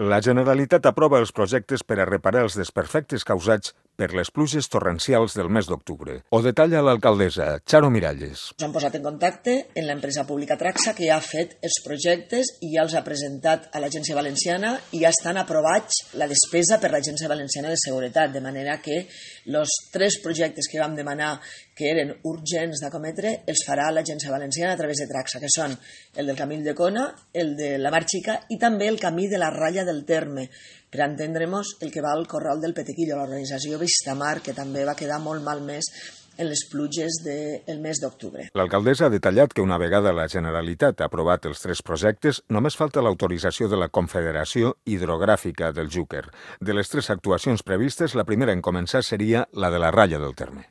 La Generalitat aprova els projectes per a reparar els desperfectes causats per les pluges torrencials del mes d'octubre. Ho detalla l'alcaldessa, Charo Miralles. Ens han posat en contacte amb l'empresa pública Traxa, que ja ha fet els projectes i ja els ha presentat a l'Agència Valenciana i ja estan aprovats la despesa per l'Agència Valenciana de Seguretat, de manera que els 3 projectes que vam demanar que eren urgents d'acometre els farà l'Agència Valenciana a través de Traxa, que són el del Camí de Cona, el de la Mar Xica i també el camí de la Ralla del Terme, per entendre'ns el que va al Corral del Petequillo, l'organització Vistamar, que també va quedar molt malmès en les pluges del mes d'octubre. L'alcaldessa ha detallat que una vegada la Generalitat ha aprovat els 3 projectes, només falta l'autorització de la Confederació Hidrogràfica del Xúquer. De les 3 actuacions previstes, la primera en començar seria la de la Ralla del Terme.